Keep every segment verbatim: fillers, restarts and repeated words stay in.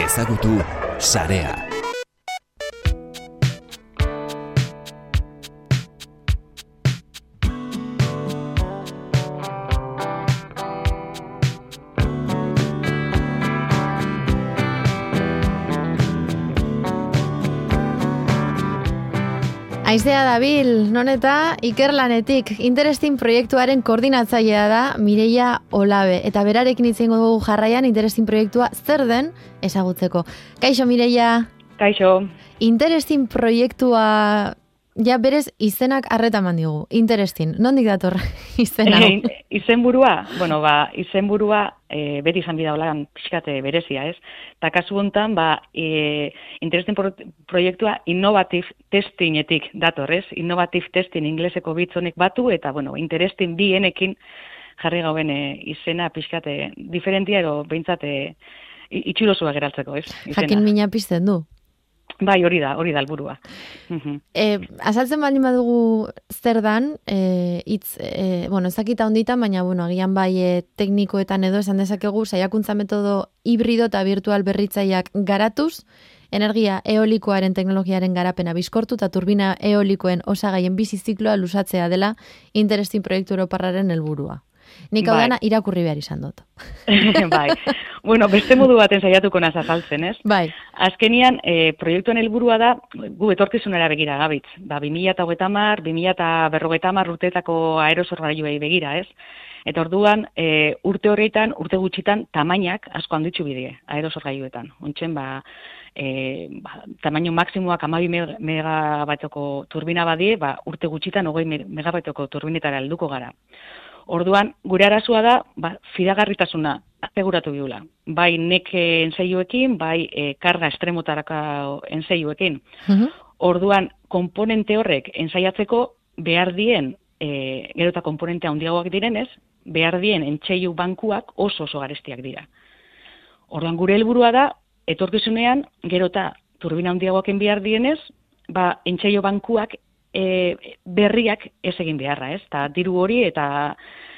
Ezagutu sarea. Aizea dabil, non eta ikerlanetik Interesting proiektuaren koordinatzailea da Mireia Olabe. Eta berarekin hitz egingo dugu jarraian Interesting proiektua zer den ezagutzeko. Kaixo Mireia. Kaixo. Interesting proiektua ja berez izenak arreta eman digu. Interesting. Nondik dator izena? E, izenburua, bueno, ba, izenburua e, beti izan bida holan pixkate berezia, ez? Ta kasu hontan, ba, e, Interesting proiektua innovative testingetik dator, ez? Innovative testing ingleseko bitzonek batu eta, bueno, Interesting bienekin jarri gauen e, izena pixkate diferentia edo behintzate itxurosua geraltzeko, ez? Izena. Jakin mina pizten du. Bai, hori da, hori da helburua. E, azaltzen baldin badugu zer dan, e, itz, e, bueno, ezakita honditan, baina, bueno, agian bai e, teknikoetan edo esan dezakegu, saiakuntza metodo hibrido eta virtual berritzaileak garatuz, energia eolikoaren teknologiaren garapena bizkortu eta turbina eolikoen osagaien bizi zikloa luzatzea dela Interesting proiektu europarraren helburua. Nik hau dana irakurri behar izan dut. Bai. Bueno, beste modu baten saiatuko naz azaltzen, ez? Bai. Azkenian, e, proiektuen helburua da, gu etorkizunera begira gabitz. Ba, bi mila hogeita hamar, bi mila berrogeita hamar urteetako aerosorgailuei begira, ez? Eta orduan, e, urte horretan, urte gutxitan, tamainak asko handitzu bidie, aerosorgailuetan. Ontsen, ba, e, ba, tamaino maksimoak amabi megabaitoko turbina badie, ba, urte gutxitan, hogei megabaitoko turbinetara helduko gara. Orduan, gure arazoa da, ba, fidagarritasuna aseguratu biula. Bai neke enseiuekin, bai e, karga estremotaraka enseiuekin. Uh-huh. Orduan, komponente horrek ensaiatzeko behar dien, e, gero eta komponente handiagoak direnez, behar dien entseiu bankuak oso oso garestiak dira. Orduan, gure helburua da, etorkizunean, gero eta turbina handiagoaken behar dienez, ba, entseiu bankuak E, berriak ez egin beharra, ez? Ta diru hori eta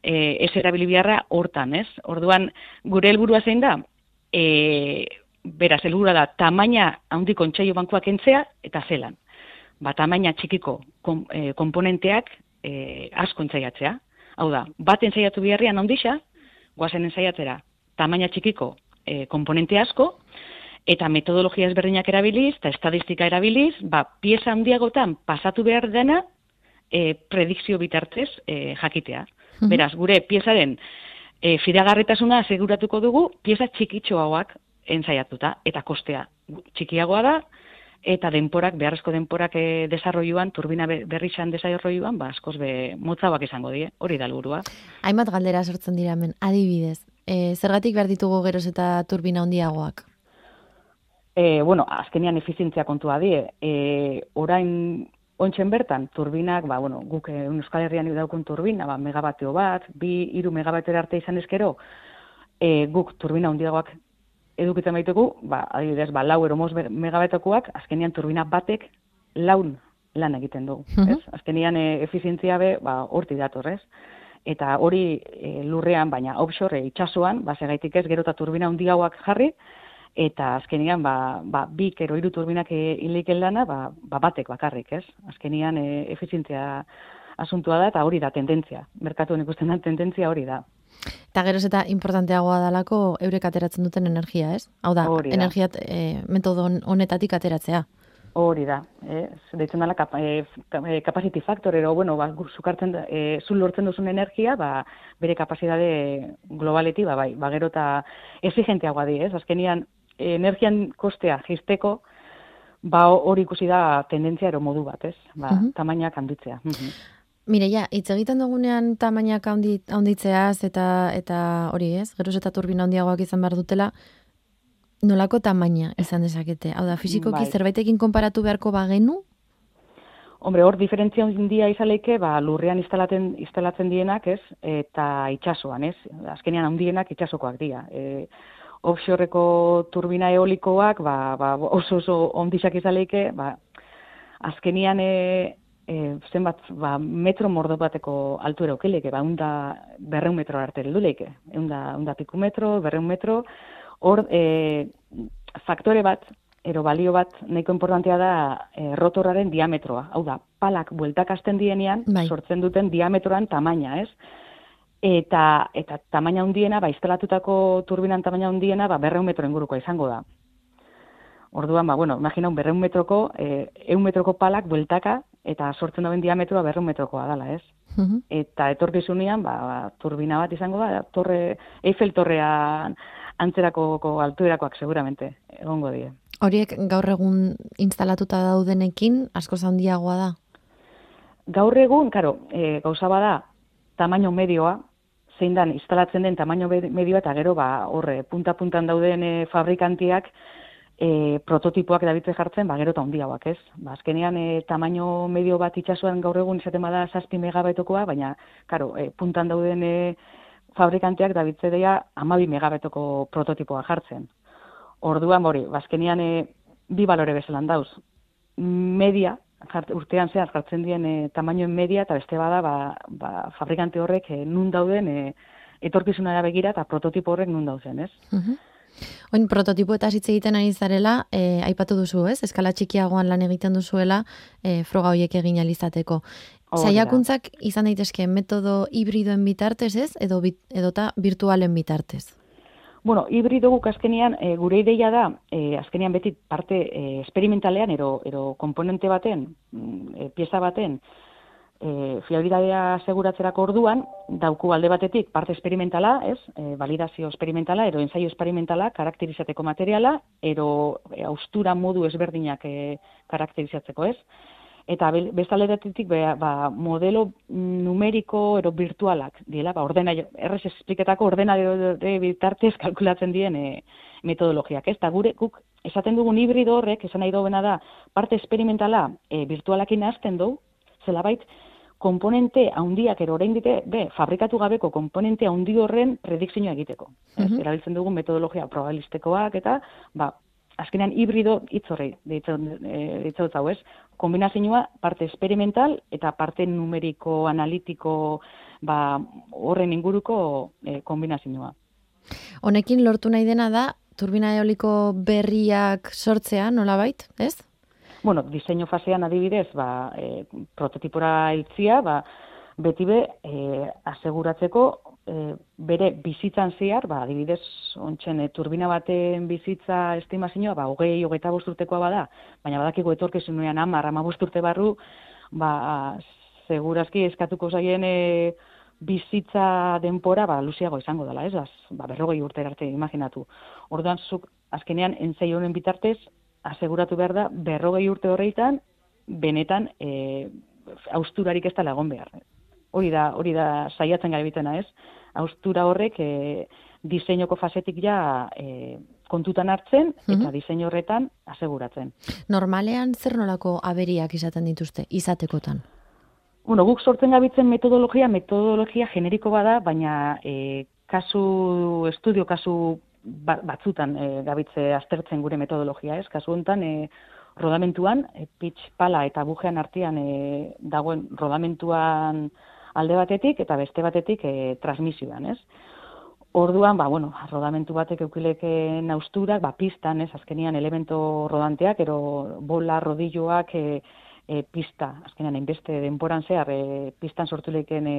e, ez erabili beharra hortan, ez? Orduan, gure helburua zein da, e, beraz, helburua da, tamaina handiko entseilu bankuak entzea eta zelan. Ba, tamaina txikiko kom, e, komponenteak e, asko entzaiatzea. Hau da, bat entzaiatu beharrian handisa, guazen entzaiatzera, tamaina txikiko e, komponente asko, eta metodologia ezberdinak erabiliz, eta estadistika erabiliz, ba, pieza handiagotan pasatu behar dena e, predikzio bitartez e, jakitea. Uh-huh. Beraz, gure piezaren e, fidagarritasuna aseguratuko dugu pieza txikitxoagoak ensaiatuta, eta kostea txikiagoa da, eta denporak, beharrezko denporak e, desarroiuan, turbina berrixan desarroiuan, ba, askoz be motzauak izango die, hori da helburua. Hainbat galdera sortzen dira hemen, adibidez. E, zergatik behar ditugu geroz eta turbina handiagoak? E, bueno, azkenian efizientzia kontua die. E, orain ontsen bertan, turbinak, ba, bueno, guk Euskal Herrian daukun turbina, ba, megabateo bat, bi, hiru megabateo arte izan ezkero, e, guk turbina handiagoak edukitzen baitugu, ba, adibidez, ba, lau eromoz megabatekoak, azkenian turbina batek laun lan egiten dugu. Uh-huh. Ez? Azkenian e, efizientzia be, ba, horti dator, ez? Eta hori e, lurrean, baina offshore e, itxasuan, ba, segaitik ez, gero eta turbina handiagoak jarri, eta azkenian, ba, ba, bik ero hiru turbinak hileiken lana, ba, ba, batek bakarrik, ez? Azkenian e, efizientzia asuntua da, eta hori da tendentzia. Merkatuan ikusten da tendentzia hori da. Eta geroz eta importanteagoa dalako eurek ateratzen duten energia, ez? Hau da, da. energia e, metodo honetatik ateratzea. Hori da. Eh? Deitzen dela kap, e, capacity factor, ero, bueno, ba, zukartzen, e, zul lortzen duzun energia, ba, bere kapazitate globaleti, ba, bai, ba, gero eta exigenteagoa di, ez? Azkenian, energian kostea jisteko, ba hori ikusi da tendentzia ero modu bat, ez? Ba, uh-huh. Tamainak handitzea. Uh-huh. Mireia, hitz egiten dugunean tamainak handitzeaz eta eta hori, ez? Geroz eta turbina handiagoak izan behar dutela, nolako tamaina izan dezakete? Hau da, fizikoki bai. Zerbaitekin konparatu beharko bagenu? Hombre, hor diferentzia handia izaleike, ba, lurrean instalatzen, instalatzen dienak, ez? Eta itxasoan, ez? Azkenean handienak itxasokoak dira. E, offshoreko turbina eolikoak, ba, ba, oso oso ondisak izaleike, ba, azkenian e, e, zenbat, ba, metro mordo bateko altuera okeleke, ba, unda berreun metro arte helduleike, unda, unda piku metro, berreun metro, hor, e, faktore bat, ero balio bat nahiko importantea da e, rotorraren diametroa. Hau da, palak bueltakasten dienean, bai. sortzen duten diametroan tamaina, ez? Eta, eta tamaina handiena, ba, instalatutako turbinan tamaina handiena, ba, berreun metro ingurukoa izango da. Orduan, ba, bueno, imagina un berreun metroko, eh, eun metroko palak bueltaka, eta sortzen duen diametroa berreun metrokoa dala, ez? Mhm. Eta etorkizunean, ba, ba, turbina bat izango da, torre, Eiffel torrean antzerako altuerakoak seguramente, egongo die. Horiek gaur egun instalatuta daudenekin askoz handiagoa da? Gaur egun, karo, e, gauza bada, tamaino medioa, zein dan instalatzen den tamaino medioa, eta gero, ba, horre, punta-puntan dauden e, fabrikantiak, e, prototipoak dabitze jartzen, ba, gero eta handiagoak, ez? Ba, azkenean, e, tamaino medio bat itxasuan gaur egun izaten bada zazpi megabaitokoa, baina, karo, e, puntan dauden e, fabrikanteak dabitze deia hamabi megabetoko prototipoa jartzen. Orduan, hori, bazkenian e, bi balore bezalan dauz. Media, jart, urtean zehar jartzen dien e, tamainoen media, eta beste bada, ba, ba, fabrikante horrek e, nun dauden e, etorkizunara begira, eta prototipo horrek nun dauden, ez? Mhm. Oin, prototipo eta hitz egiten ari zarela, e, aipatu duzu, ez? Eskala txikiagoan lan egiten duzuela, e, froga horiek egin alizateko. Saiakuntzak izan daitezke metodo hibridoen bitartez, ez? Edo bit, edota virtualen bitartez? Bueno, hibrido guk azkenean, e, gure ideia da, e, azkenean beti parte e, esperimentalean, ero, ero komponente baten, e, pieza baten, e, fiabilidadea seguratzerako orduan, dauku alde batetik parte esperimentala, ez? E, validazio esperimentala, ero ensaio esperimentala, karakterizateko materiala, ero e, austura modu ezberdinak e, karakterizatzeko, ez? Eta bestaldetik ba, modelo numeriko ero virtualak diela, ba, ordena, errez espliketako ordenadore bitartez kalkulatzen dien e, metodologiak. Ez da gure, guk esaten dugun hibrido horrek, esan nahi dobena da, parte esperimentala e, virtualakin hasten du, zelabait, komponente handiak ero orain dite, be, fabrikatu gabeko komponente handi horren predikzioa egiteko. Ez, uh-huh. Erabiltzen dugun metodologia probabilistekoak eta, ba, azkenean hibrido hitz horri ditzaut hau, ez? Kombinazioa parte esperimental eta parte numeriko, analitiko, ba, horren inguruko e, kombinazioa. Honekin lortu nahi dena da, turbina eoliko berriak sortzea, nolabait, ez? Bueno, diseinu fasean adibidez, ba, e, prototipora hiltzia, ba, beti be, e, aseguratzeko, e, bere bizitzan zehar, ba, adibidez, ontzen, e, turbina baten bizitza estimazioa, ba, hogei, hogeita bost urtekoa bada, baina badakigu etorkizunean hamar, hamabost urte barru, ba, segurazki eskatuko zaien e, bizitza denpora, ba, luziago izango dela, ez? Ba, berrogei urte arte, imaginatu. Orduan, zuk, azkenean, entzai honen bitartez, aseguratu behar da, berrogei urte horreitan, benetan, e, hausturarik ez da lagon behar. Hori da, hori da saiatzen gaibitena, ez? Haustura horrek e, diseinoko fasetik ja e, kontutan hartzen eta mm-hmm. diseinu horretan aseguratzen. Normalean zer nolako aberiak izaten dituzte, izatekotan? Bueno, guk sortzen gabitzen metodologia, metodologia generiko bada, baina e, kasu, estudio kasu batzutan e, gabitze aztertzen gure metodologia, ez? Kasu honetan, e, rodamentuan, e, pitch, pala eta bujean artean e, dagoen rodamentuan alde batetik eta beste batetik e, transmisioan, ez? Orduan, ba, bueno, rodamentu batek eukileken austurak, ba, pistan, ez? Azkenean elemento rodanteak, ero bola, rodilloak, e, e, pista, azkenean, hainbeste denporan zehar, e, pistan sortu leken e,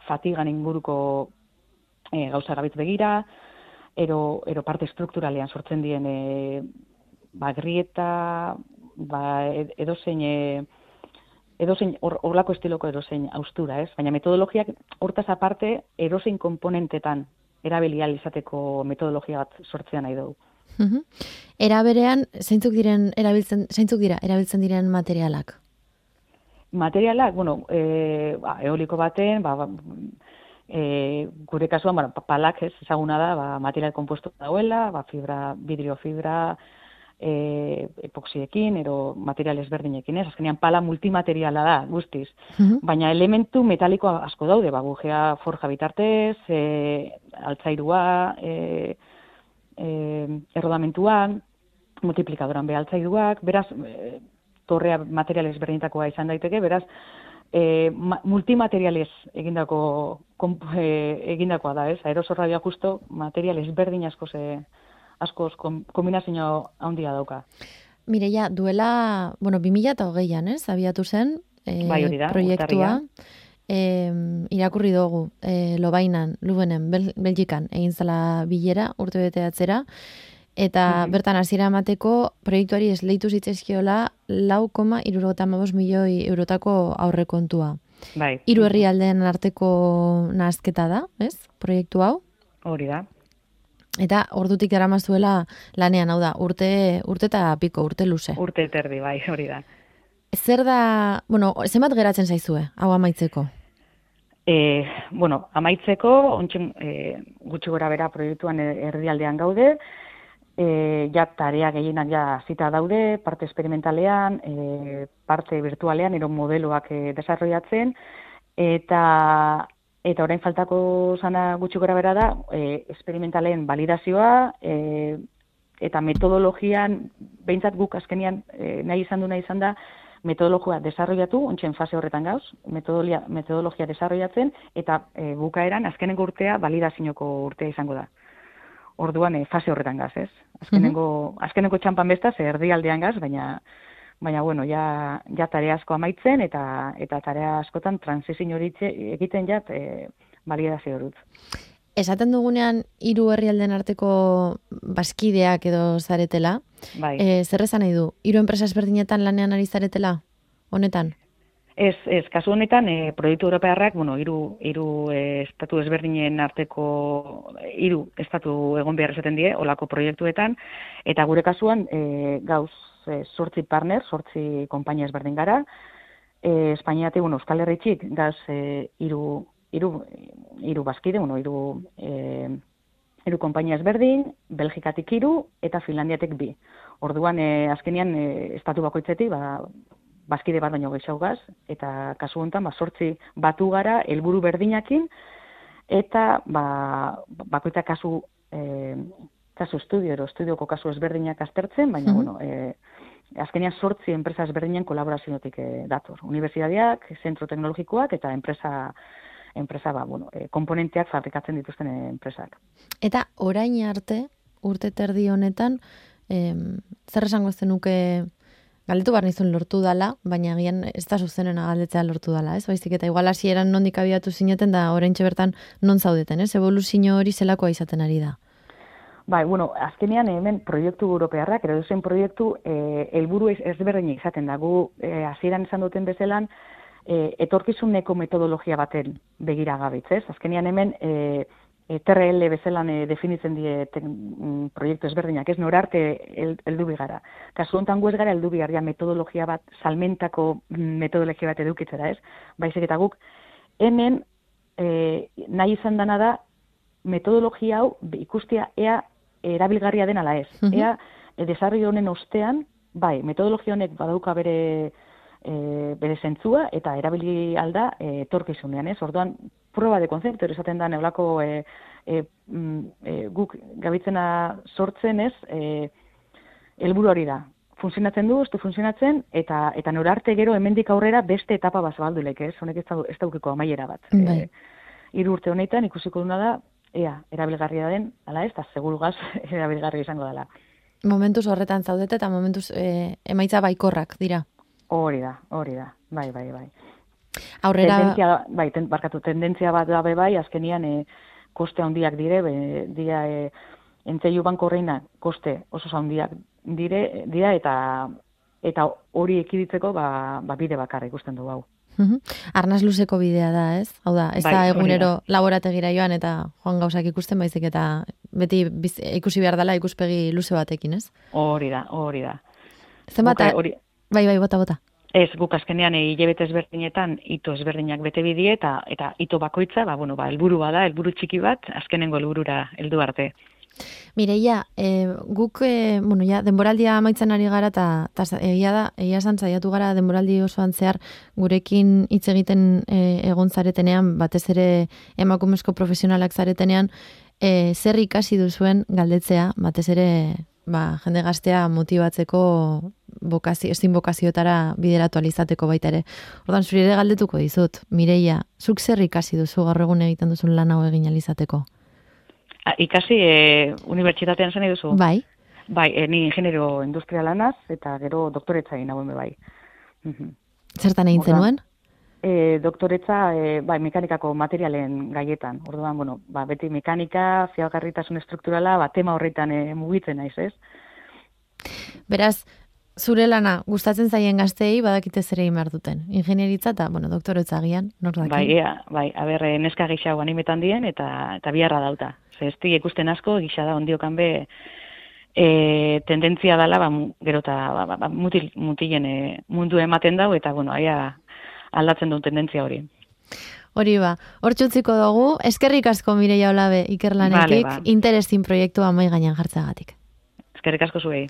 fatigan inguruko e, gauza gabitz begira, ero, ero parte strukturalean sortzen dien e, ba, grieta, ba, edozein, e, edozein horlako estiloko edozein austura, ez? Baina metodologiak hortaz aparte edozein komponentetan erabilial izateko metodologia bat sortzean nahi dugu. Uh-huh. Era berean, zeintzuk diren erabiltzen, zeintzuk dira erabiltzen diren materialak? Materialak, bueno, e, ba, eoliko baten, ba, ba E, gure kasuan, bueno, palak ez ezaguna da, ba, material kompuesto dauela, ba, fibra, vidrio fibra, e, epoxiekin, ero material ezberdinekin, ez? Azkenean pala multimateriala da, guztiz. Uh-huh. Baina elementu metaliko asko daude, ba, gujea forja bitartez, e, altzairua, e, e, errodamentuan, multiplikadoran be altzairuak, beraz, e, torrea material ezberdinetakoa izan daiteke, beraz, E, ma, multimaterialez egindako komp, e, egindakoa da, ez? Aerosorraia justo material ezberdin asko ze askoz kombinazio handia dauka. Mireia, duela, bueno, bi mila hogeian, ez, abiatu zen, e, bai, hori da, proiektua. E, irakurri dugu, e, Lobainan, Lubenen, Bel Belgikan, egin zela bilera, urte bete atzera, eta mm-hmm. bertan hasiera emateko proiektuari esleitu zitzaizkiola lau koma hirurogeita hamabost milioi eurotako aurrekontua. Bai. Hiru herrialdeen arteko nahasketa da, ez? Proiektu hau. Hori da. Eta ordutik daramazuela lanean, hau da, urte urte eta piko, urte luze. Urte terdi, bai, hori da. Zer da, bueno, zenbat geratzen zaizue, hau amaitzeko? E, bueno, amaitzeko, ontsen e, gutxi gora bera proiektuan erdialdean gaude, e, ja tarea gehienak ja zita daude, parte experimentalean, e, parte virtualean, ero modeloak e, desarrollatzen, eta eta orain faltako zana gutxi gora bera da, e, experimentalen validazioa, e, eta metodologian, behintzat guk azkenian e, nahi izan du nahi izan da, metodologia desarrollatu, ontsen fase horretan gauz, metodologia, metodologia desarrollatzen, eta e, bukaeran azkenengo urtea validazioko urtea izango da. Orduan e, fase horretan gaz, ez? Azkenengo, mm-hmm. azkenengo txampan bestaz, erdialdean gaz, baina, baina bueno, ja, ja tarea asko amaitzen, eta eta tarea askotan transizio hori egiten jat e, validazio horut. Esaten dugunean, hiru herrialden arteko baskideak edo zaretela, bai. E, zer esan nahi du? Hiru enpresa ezberdinetan lanean ari zaretela? Honetan? Ez, ez, kasu honetan, e, proiektu europearrak, bueno, hiru hiru e, estatu ezberdinen arteko hiru estatu egon behar esaten die, olako proiektuetan, eta gure kasuan, e, gauz, e, sortzi partner, sortzi konpainia ezberdin gara, e, Espainiatik, bueno, Euskal Herritxik, gauz, e, hiru hiru hiru baskide, bueno, hiru eh hiru konpainia ezberdin, Belgikatik hiru eta Finlandiatik bi. Orduan eh azkenean e, estatu bakoitzetik ba baskide bat baino gehiago gaz, eta kasu honetan ba zortzi batu gara helburu berdinakin, eta ba bakoitza kasu eh kasu estudio ero estudioko kasu ezberdinak aztertzen, baina mm-hmm. bueno, eh azkenean zortzi enpresa ezberdinen kolaboraziotik e, dator. Unibertsitateak, zentro teknologikoak eta enpresa enpresa ba, bueno, e, komponenteak fabrikatzen dituzten enpresak. Eta orain arte, urte terdi honetan, em, zer esango zenuke, galdetu behar nizun lortu dala, baina agian ez da zuzenena galdetzea lortu dala, ez? Baizik eta igual hasieran nondik abiatu zineten da oraintxe bertan non zaudeten, ez? Evoluzio hori zelakoa izaten ari da. Bai, bueno, azkenean hemen proiektu europearrak, edo zen proiektu eh, helburu ezberdinak izaten da. Gu hasieran esan duten bezelan, E, etorkizuneko metodologia baten begira gabitz, ez? Azkenean hemen e, e, T R L bezelan e, definitzen die te, mm, proiektu ezberdinak, ez norarte heldu bigara. Kasu honetan gu ez gara heldu bigarria metodologia bat, salmentako metodologia bat edukitzera, ez? Baizik eta guk hemen e, nahi izan dana da metodologia hau ikustia ea erabilgarria den ala ez. Mm-hmm. Ea e, desarrollo honen ostean, bai, metodologia honek badauka bere E, bere zentzua eta erabili alda e, etorkizunean, ez? Orduan, proba de konzeptu esaten da neulako e, e, e, guk gabitzena sortzen, ez? E, helburu hori da. Funtzionatzen du, ez du funtzionatzen, eta eta norarte gero hemendik aurrera beste etapa bat zabaldulek, ez? Honek ez da ez daukiko amaiera bat. Bai. E, hiru urte honetan ikusiko duna da, ea, erabilgarria den, ala ez, eta segurugaz erabilgarria izango dela. Momentuz horretan zaudete eta momentuz e, emaitza baikorrak dira. Hori da, hori da, bai, bai, bai. Aurrera... Tendentzia, bai, ten, barkatu, tendentzia bat da bai, azkenian e, koste handiak dire, be, dira, e, entzeiu banko horreina koste oso handiak dire, dira, eta eta hori ekiditzeko ba, ba bide bakarra ikusten du hau. Uh-huh. Arnaz luzeko bidea da, ez? Hau da, ez bai, da egunero laborategira joan eta joan gauzak ikusten baizik eta beti biz, ikusi behar dela ikuspegi luze batekin, ez? Hori da, hori da. Zenbat, hori... Bai, bai, bota, bota. Ez, guk azkenean hilabete ezberdinetan ito ezberdinak bete bidie eta eta ito bakoitza, ba bueno, ba helburu bada, helburu txiki bat, azkenengo helburura heldu arte. Mireia, e, guk e, bueno, ja denboraldia amaitzen ari gara ta ta egia da, egia esan saiatu gara denboraldi osoan zehar gurekin hitz egiten e, egon zaretenean, batez ere emakumezko profesionalak zaretenean, e, zer ikasi duzuen galdetzea, batez ere ba, jende gaztea motibatzeko bokazio, ezin bokazioetara bideratu alizateko baita ere. Ordan zuri ere galdetuko dizut, Mireia, zuk zer ikasi duzu gaur egun egiten duzun lan hau egin alizateko? ikasi e, unibertsitatean zen eduzu? Bai. Bai, e, ni ingeniero industrialanaz, eta gero doktoretza egin hauen bai. Zertan egin zenuen? E, doktoretza, e, bai, mekanikako materialen gaietan. Orduan, bueno, ba, beti mekanika, fiagarritasun estrukturala, ba, tema horretan e, mugitzen naiz, ez? Beraz, zure lana gustatzen zaien gazteei badakite zer egin behar duten. Ingenieritza eta, bueno, doktoretza agian, nor daki? Bai, ea, bai, aber, neska gixago animetan dien, eta, eta biharra dauta. Ze ez ikusten asko, gisa da ondiokan be, e, tendentzia dela, ba, gero eta ba, ba, mutil, mutilen e, mundu ematen dau, eta, bueno, aia aldatzen duen tendentzia hori. Hori ba, hor txutziko dugu, eskerrik asko Mireia Olabe ikerlanetik, vale, ba. Interesin proiektua mai gainean jartzagatik. Eskerrik asko zuei.